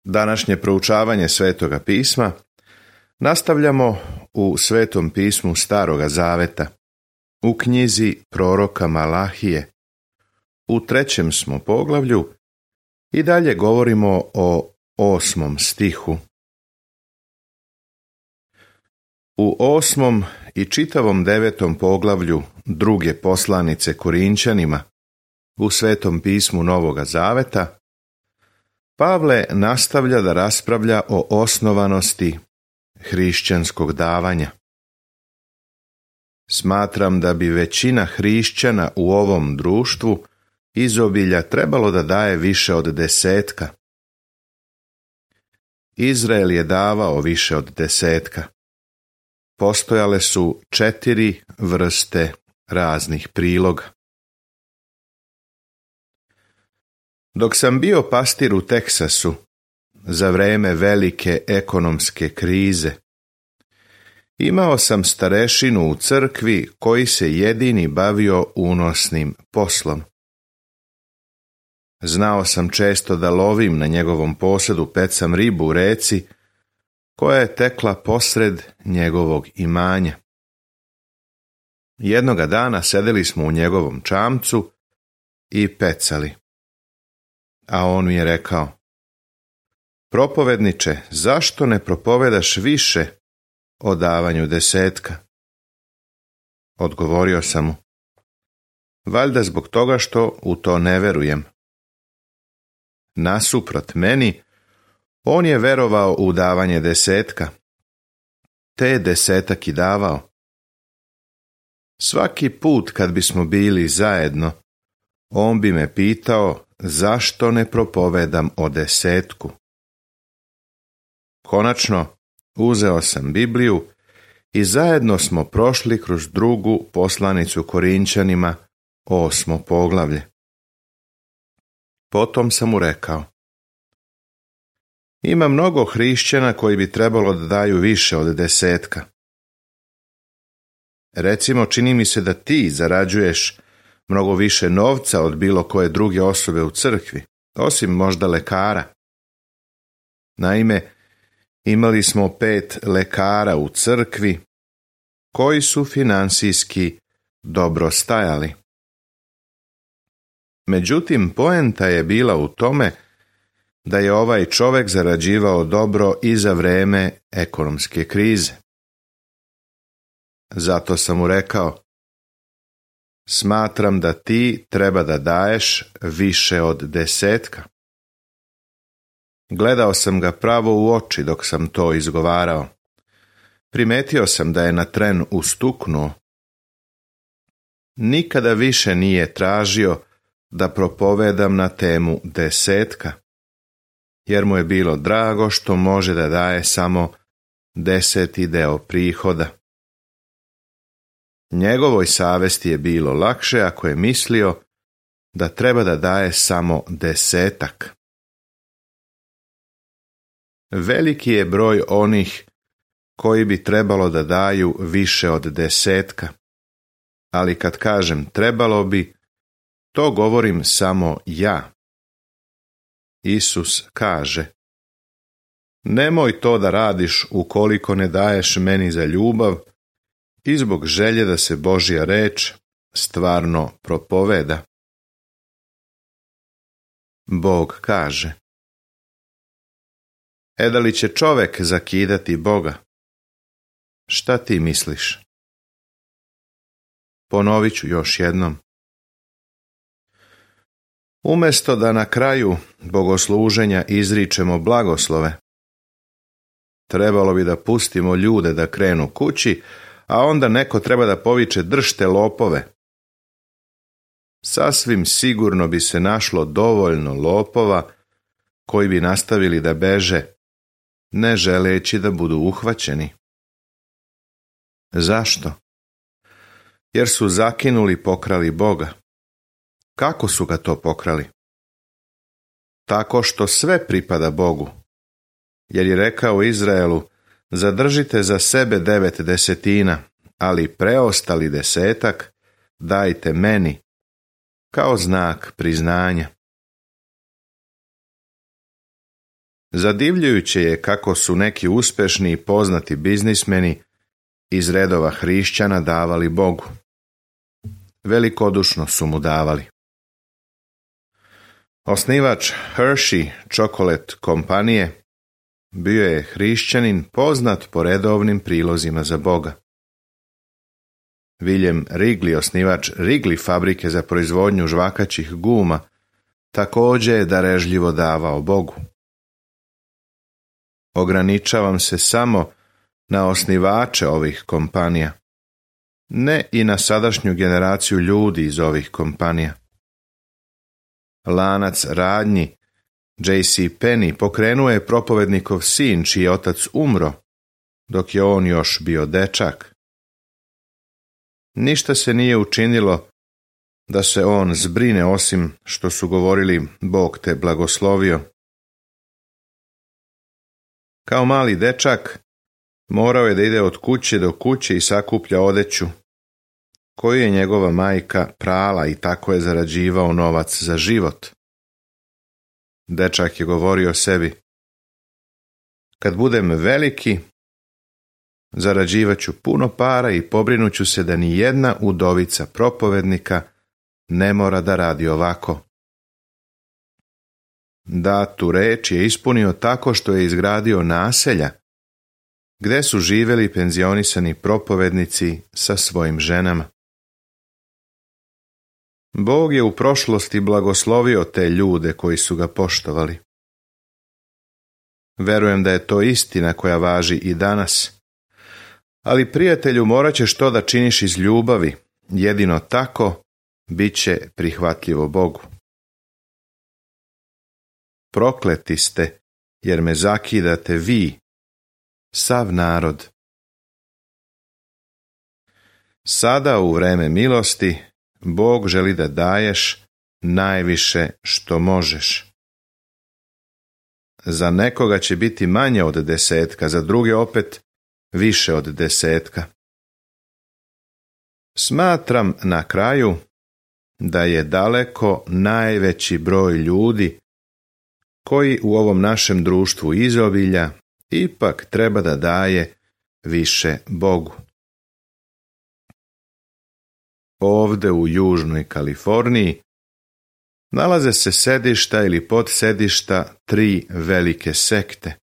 Današnje proučavanje Svetoga pisma nastavljamo u Svetom pismu Staroga Zaveta, u knjizi proroka Malahije. U 3. smo poglavlju i dalje govorimo o 8. stihu. U 8. i čitavom 9. poglavlju druge poslanice Korinčanima u Svetom pismu Novoga Zaveta Pavle nastavlja da raspravlja o osnovanosti hrišćanskog davanja. Smatram da bi većina hrišćana u ovom društvu izobilja trebalo da daje više od 10. Izrael je davao više od 10. Postojale su 4 vrste raznih priloga. Dok sam bio pastir u Teksasu, za vreme velike ekonomske krize, imao sam starešinu u crkvi koji se jedini bavio unosnim poslom. Znao sam često da lovim na njegovom posedu, pecam ribu u reci koja je tekla posred njegovog imanja. Jednoga dana sedeli smo u njegovom čamcu i pecali. A on mi je rekao: "Propovedniče, zašto ne propovedaš više o davanju 10?" Odgovorio sam mu: "Valjda zbog toga što u to ne verujem." Nasuprot meni, on je verovao u davanje 10, te je 10 i davao. Svaki put kad bismo bili zajedno, on bi me pitao zašto ne propovedam o 10. Konačno, uzeo sam Bibliju i zajedno smo prošli kroz drugu poslanicu Korinčanima, 8. poglavlje. Potom sam mu rekao: "Ima mnogo hrišćana koji bi trebalo da daju više od 10. Recimo, čini mi se da ti zarađuješ mnogo više novca od bilo koje druge osobe u crkvi, osim možda lekara. Naime, imali smo 5 lekara u crkvi koji su finansijski dobro stajali. Međutim, poenta je bila u tome da je ovaj čovjek zarađivao dobro i za vreme ekonomske krize. Zato sam mu rekao: "Smatram da ti treba da daješ više od 10." Gledao sam ga pravo u oči dok sam to izgovarao. Primetio sam da je na tren ustuknuo. Nikada više nije tražio da propovedam na temu 10, jer mu je bilo drago što može da daje samo 10. deo prihoda. Njegovoj savesti je bilo lakše ako je mislio da treba da daje samo 10. Veliki je broj onih koji bi trebalo da daju više od 10, ali kad kažem trebalo bi, to govorim samo ja. Isus kaže: "Nemoj to da radiš ukoliko ne daješ meni za ljubav i zbog želje da se Božja reč stvarno propoveda." Bog kaže: "Da li će čovek zakidati Boga? Šta ti misliš?" Ponovit ću još jednom. Umjesto da na kraju bogosluženja izričemo blagoslove, trebalo bi da pustimo ljude da krenu kući, a onda neko treba da poviče: "Držte lopove." Sasvim sigurno bi se našlo dovoljno lopova koji bi nastavili da beže, ne želeći da budu uhvaćeni. Zašto? Jer su zakinuli, pokrali Boga. Kako su ga to pokrali? Tako što sve pripada Bogu, jer je rekao Izraelu: "Zadržite za sebe 9 desetina, ali preostali 10 dajte meni kao znak priznanja." Zadivljujuće je kako su neki uspešni i poznati biznismeni iz redova hrišćana davali Bogu. Velikodušno su mu davali. Osnivač Hershey Chocolate kompanije bio je hrišćanin poznat po redovnim prilozima za Boga. William Wrigley, osnivač Wrigley fabrike za proizvodnju žvakaćih guma, također je darežljivo davao Bogu. Ograničavam se samo na osnivače ovih kompanija, ne i na sadašnju generaciju ljudi iz ovih kompanija. Lanac radnji J.C. Penney pokrenuo je propovednikov sin, čiji je otac umro, dok je on još bio dečak. Ništa se nije učinilo da se on zbrine, osim što su govorili Bog te blagoslovio. Kao mali dečak morao je da ide od kuće do kuće i sakuplja odeću, koju je njegova majka prala, i tako je zarađivao novac za život. Dečak je govorio sebi: kad budem veliki, zarađivaću puno para i pobrinuću se da ni jedna udovica propovednika ne mora da radi ovako. Datu reč je ispunio tako što je izgradio naselja, gde su živjeli penzionisani propovednici sa svojim ženama. Bog je u prošlosti blagoslovio te ljude koji su ga poštovali. Verujem da je to istina koja važi i danas. Ali, prijatelju, morat ćeš to da činiš iz ljubavi, jedino tako bit će prihvatljivo Bogu. Prokleti ste, jer me zakidate vi, sav narod. Sada u vreme milosti Bog želi da daješ najviše što možeš. Za nekoga će biti manje od 10, za druge opet više od 10. Smatram na kraju da je daleko najveći broj ljudi koji u ovom našem društvu izobilja ipak treba da daje više Bogu. Ovde u Južnoj Kaliforniji nalaze se sedišta ili podsedišta 3 velike sekte.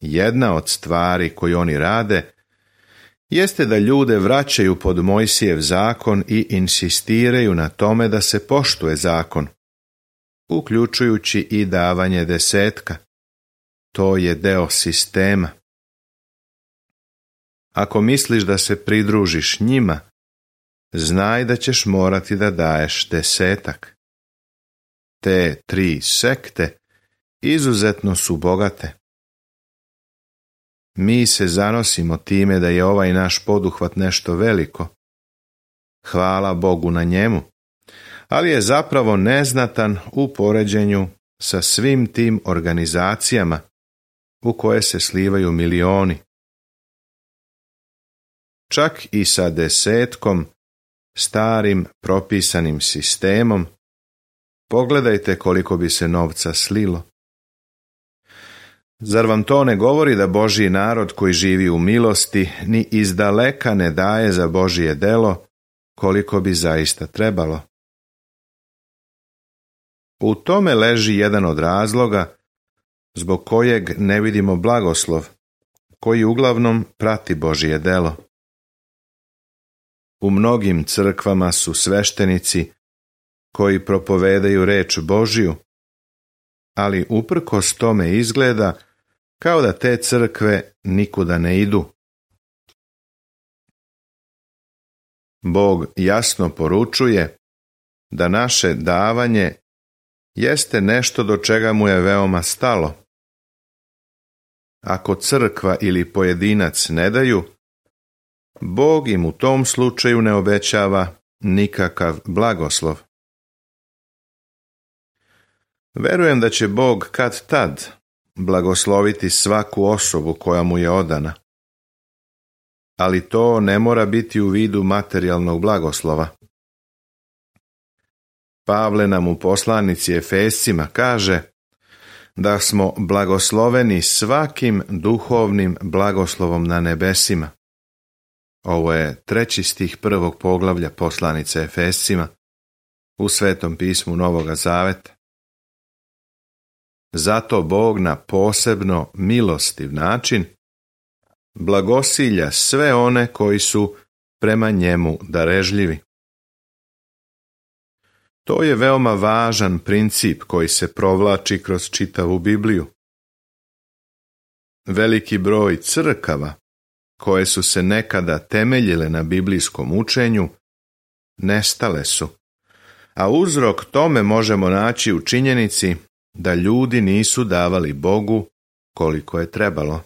Jedna od stvari koju oni rade jeste da ljude vraćaju pod Mojsijev zakon i insistiraju na tome da se poštuje zakon, uključujući i davanje 10. To je deo sistema. Ako misliš da se pridružiš njima, znaj da ćeš morati da daješ 10. Te 3 sekte izuzetno su bogate. Mi se zanosimo time da je ovaj naš poduhvat nešto veliko. Hvala Bogu na njemu, ali je zapravo neznatan u poređenju sa svim tim organizacijama u koje se slivaju milioni. Čak i sa 10, starim propisanim sistemom, pogledajte koliko bi se novca slilo. Zar vam to ne govori da Božji narod koji živi u milosti ni izdaleka ne daje za Božje delo koliko bi zaista trebalo? U tome leži jedan od razloga zbog kojeg ne vidimo blagoslov, koji uglavnom prati Božje delo. U mnogim crkvama su sveštenici koji propovedaju reč Božju, ali uprkos tome izgleda kao da te crkve nikuda ne idu. Bog jasno poručuje da naše davanje jeste nešto do čega mu je veoma stalo. Ako crkva ili pojedinac ne daju, Bog im u tom slučaju ne obećava nikakav blagoslov. Verujem da će Bog kad tad blagosloviti svaku osobu koja mu je odana. Ali to ne mora biti u vidu materijalnog blagoslova. Pavle nam u poslanici Efescima kaže: da smo blagosloveni svakim duhovnim blagoslovom na nebesima. Ovo je 3. stih 1. poglavlja poslanice Efescima u Svetom pismu Novoga Zaveta. Zato Bog na posebno milostiv način blagosilja sve one koji su prema njemu darežljivi. To je veoma važan princip koji se provlači kroz čitavu Bibliju. Veliki broj crkava koje su se nekada temeljile na biblijskom učenju nestale su, a uzrok tome možemo naći u činjenici da ljudi nisu davali Bogu koliko je trebalo.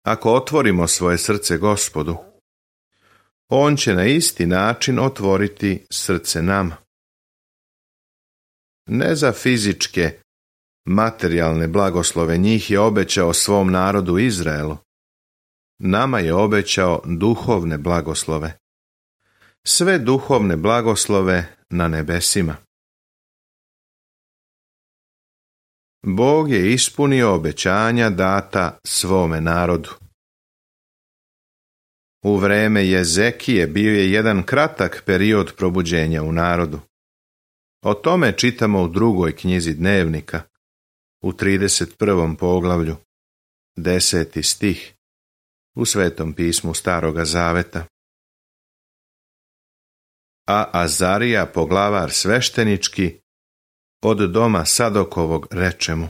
Ako otvorimo svoje srce Gospodu, On će na isti način otvoriti srce nama. Ne za fizičke, materijalne blagoslove, njih je obećao svom narodu Izraelu. Nama je obećao duhovne blagoslove. Sve duhovne blagoslove na nebesima. Bog je ispunio obećanja data svome narodu. U vreme Jezekije bio je jedan kratak period probuđenja u narodu. O tome čitamo u 2. knjizi Dnevnika, u 31. poglavlju, 10. stih, u Svetom pismu Staroga Zaveta. A Azarija, poglavar sveštenički, od doma Sadokovog reče mu: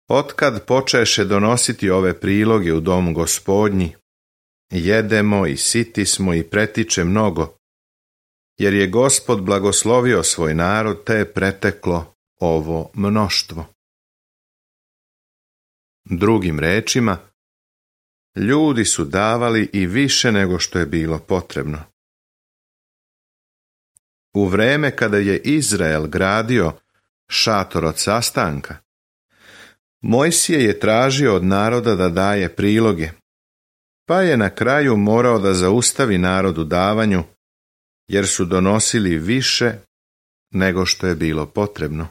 Otkad počeše donositi ove priloge u dom Gospodnji, jedemo i siti smo i pretiče mnogo, jer je Gospod blagoslovio svoj narod, te je preteklo ovo mnoštvo. Drugim rečima, ljudi su davali i više nego što je bilo potrebno. U vreme kada je Izrael gradio šator od sastanka, Mojsije je tražio od naroda da daje priloge, pa je na kraju morao da zaustavi narod u davanju, jer su donosili više nego što je bilo potrebno.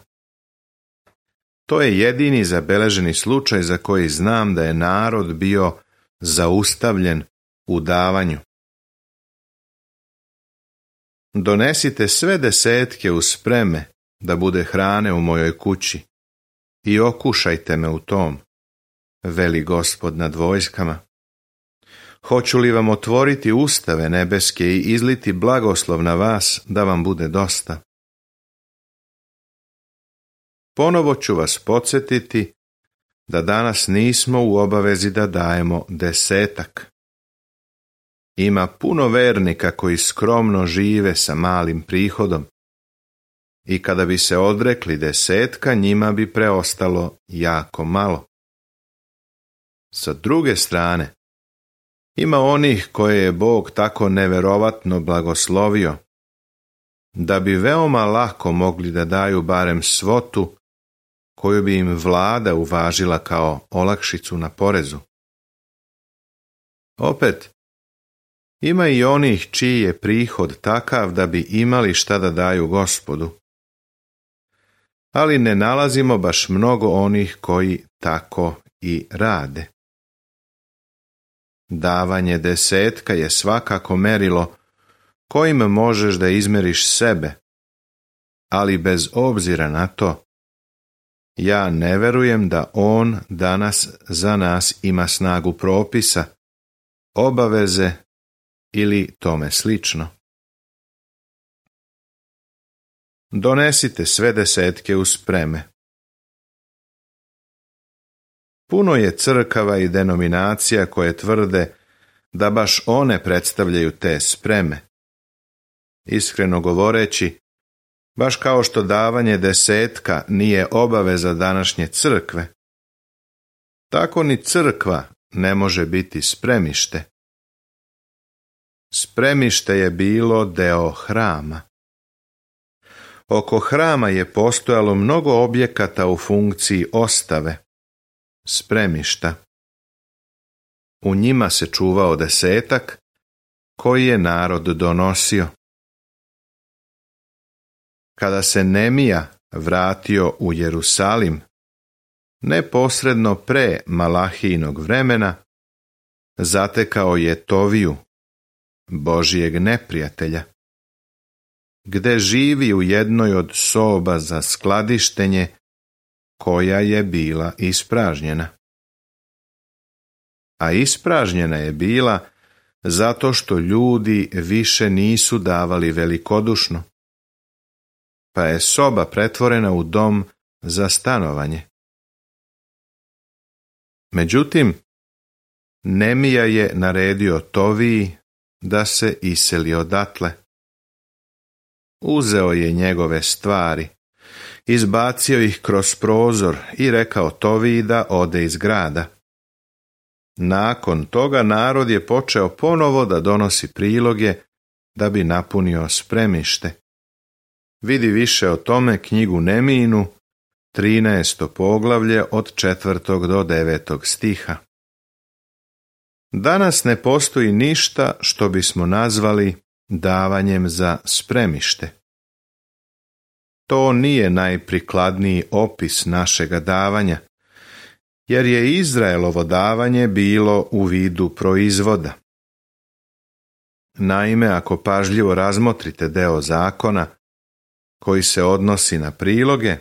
To je jedini zabeleženi slučaj za koji znam da je narod bio zaustavljen u davanju. Donesite sve desetke u spreme da bude hrane u mojoj kući i okušajte me u tom, veli Gospod nad vojskama. Hoću li vam otvoriti ustave nebeske i izliti blagoslov na vas da vam bude dosta? Ponovo ću vas podsjetiti da danas nismo u obavezi da dajemo desetak. Ima puno vernika koji skromno žive sa malim prihodom i kada bi se odrekli desetka, njima bi preostalo jako malo. Sa druge strane, ima onih koje je Bog tako neverovatno blagoslovio da bi veoma lako mogli da daju barem svotu koju bi im vlada uvažila kao olakšicu na porezu. Opet, ima i onih čiji je prihod takav da bi imali šta da daju Gospodu. Ali ne nalazimo baš mnogo onih koji tako i rade. Davanje desetka je svakako merilo kojim možeš da izmeriš sebe, ali bez obzira na to, ja ne verujem da on danas za nas ima snagu propisa, obaveze ili tome slično. Donesite sve desetke u spreme. Puno je crkava i denominacija koje tvrde da baš one predstavljaju te spreme. Iskreno govoreći, baš kao što davanje desetka nije obaveza današnje crkve, tako ni crkva ne može biti spremište. Spremište je bilo deo hrama. Oko hrama je postojalo mnogo objekata u funkciji ostave, spremišta. U njima se čuvao desetak koji je narod donosio. Kada se Nemija vratio u Jerusalim, neposredno pre Malahijinog vremena, zatekao je Toviju, Božijeg neprijatelja, gde živi u jednoj od soba za skladištenje koja je bila ispražnjena. A ispražnjena je bila zato što ljudi više nisu davali velikodušno, pa je soba pretvorena u dom za stanovanje. Međutim, Nemija je naredio Toviji da se iseli odatle. Uzeo je njegove stvari, izbacio ih kroz prozor i rekao Toviji da ode iz grada. Nakon toga narod je počeo ponovo da donosi priloge da bi napunio spremište. Vidi više o tome knjigu Nemijinu, 13. poglavlje od 4. do 9. stiha. Danas ne postoji ništa što bismo nazvali davanjem za spremište. To nije najprikladniji opis našega davanja, jer je Izraelovo davanje bilo u vidu proizvoda. Naime, ako pažljivo razmotrite deo zakona koji se odnosi na priloge,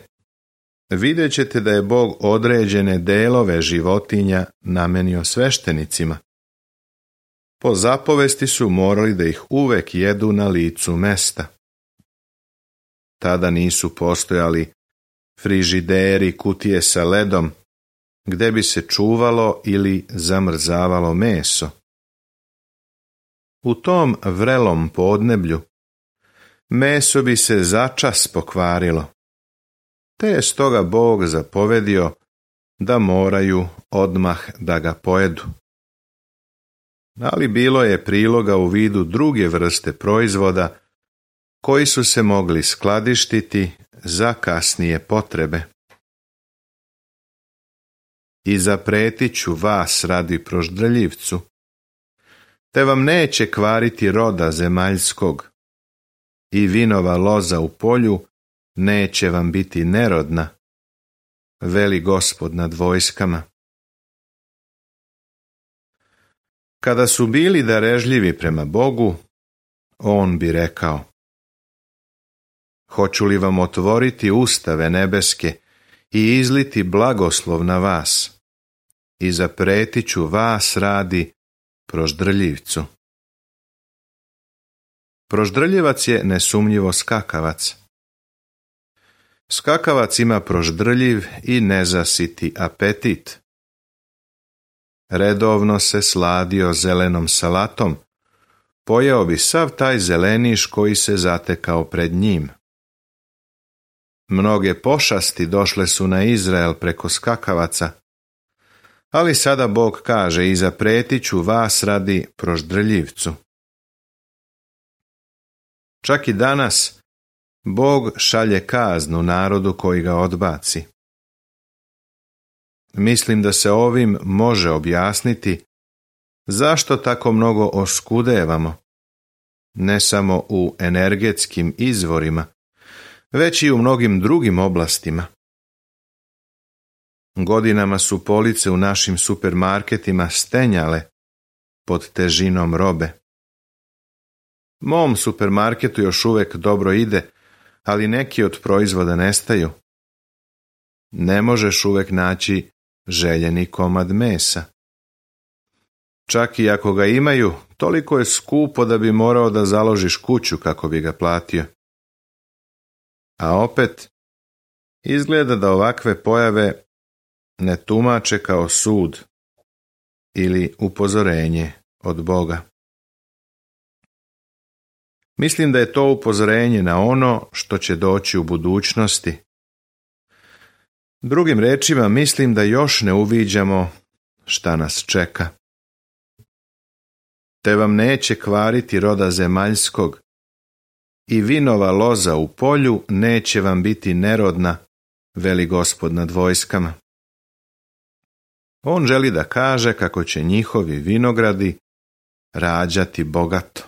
vidjet ćete da je Bog određene delove životinja namenio sveštenicima. Po zapovesti su morali da ih uvek jedu na licu mesta. Tada nisu postojali frižideri, kutije sa ledom, gde bi se čuvalo ili zamrzavalo meso. U tom vrelom podneblju meso bi se začas pokvarilo, te je stoga Bog zapovedio da moraju odmah da ga pojedu. Ali bilo je priloga u vidu druge vrste proizvoda koji su se mogli skladištiti za kasnije potrebe. I zapretit ću vas radi proždrljivcu, te vam neće kvariti roda zemaljskog, i vinova loza u polju neće vam biti nerodna, veli Gospod nad vojskama. Kada su bili darežljivi prema Bogu, on bi rekao: hoću li vam otvoriti ustave nebeske i izliti blagoslov na vas, i zapretit ću vas radi proždrljivcu. Proždrljivac je nesumnjivo skakavac. Skakavac ima proždrljiv i nezasiti apetit. Redovno se sladio zelenom salatom, pojeo bi sav taj zeleniš koji se zatekao pred njim. Mnoge pošasti došle su na Izrael preko skakavaca, ali sada Bog kaže: i zapretit ću vas radi proždrljivcu. Čak i danas Bog šalje kaznu narodu koji ga odbaci. Mislim da se ovim može objasniti zašto tako mnogo oskudevamo, ne samo u energetskim izvorima, već i u mnogim drugim oblastima. Godinama su police u našim supermarketima stenjale pod težinom robe. Mom supermarketu još uvek dobro ide, ali neki od proizvoda nestaju. Ne možeš uvek naći željeni komad mesa. Čak i ako ga imaju, toliko je skupo da bi morao da založiš kuću kako bi ga platio. A opet, izgleda da ovakve pojave ne tumače kao sud ili upozorenje od Boga. Mislim da je to upozorenje na ono što će doći u budućnosti. Drugim rečima, mislim da još ne uviđamo šta nas čeka. Te vam neće kvariti roda zemaljskog, i vinova loza u polju neće vam biti nerodna, veli Gospod nad vojskama. On želi da kaže kako će njihovi vinogradi rađati bogato.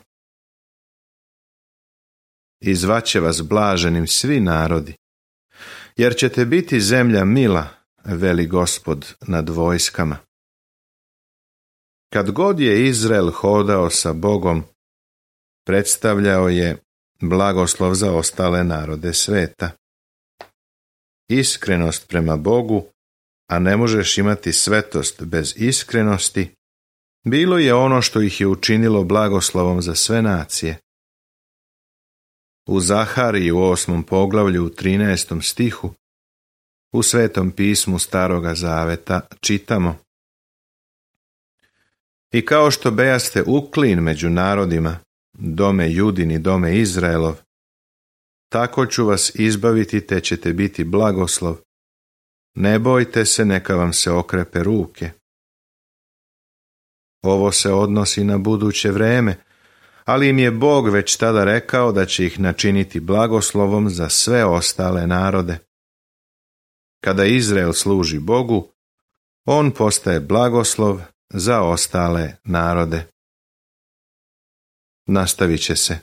I zvaće vas blaženim svi narodi, jer ćete biti zemlja mila, veli Gospod nad vojskama. Kad god je Izrael hodao sa Bogom, predstavljao je blagoslov za ostale narode sveta. Iskrenost prema Bogu, a ne možeš imati svetost bez iskrenosti, bilo je ono što ih je učinilo blagoslovom za sve nacije. U Zahariji u 8. poglavlju u 13. stihu u Svetom pismu Staroga zaveta čitamo: I kao što bejaste uklin među narodima, dome Judin i dome Izraelov, tako ću vas izbaviti te ćete biti blagoslov. Ne bojte se, neka vam se okrepe ruke. Ovo se odnosi na buduće vreme, ali im je Bog već tada rekao da će ih načiniti blagoslovom za sve ostale narode. Kada Izrael služi Bogu, on postaje blagoslov za ostale narode. Nastavit će se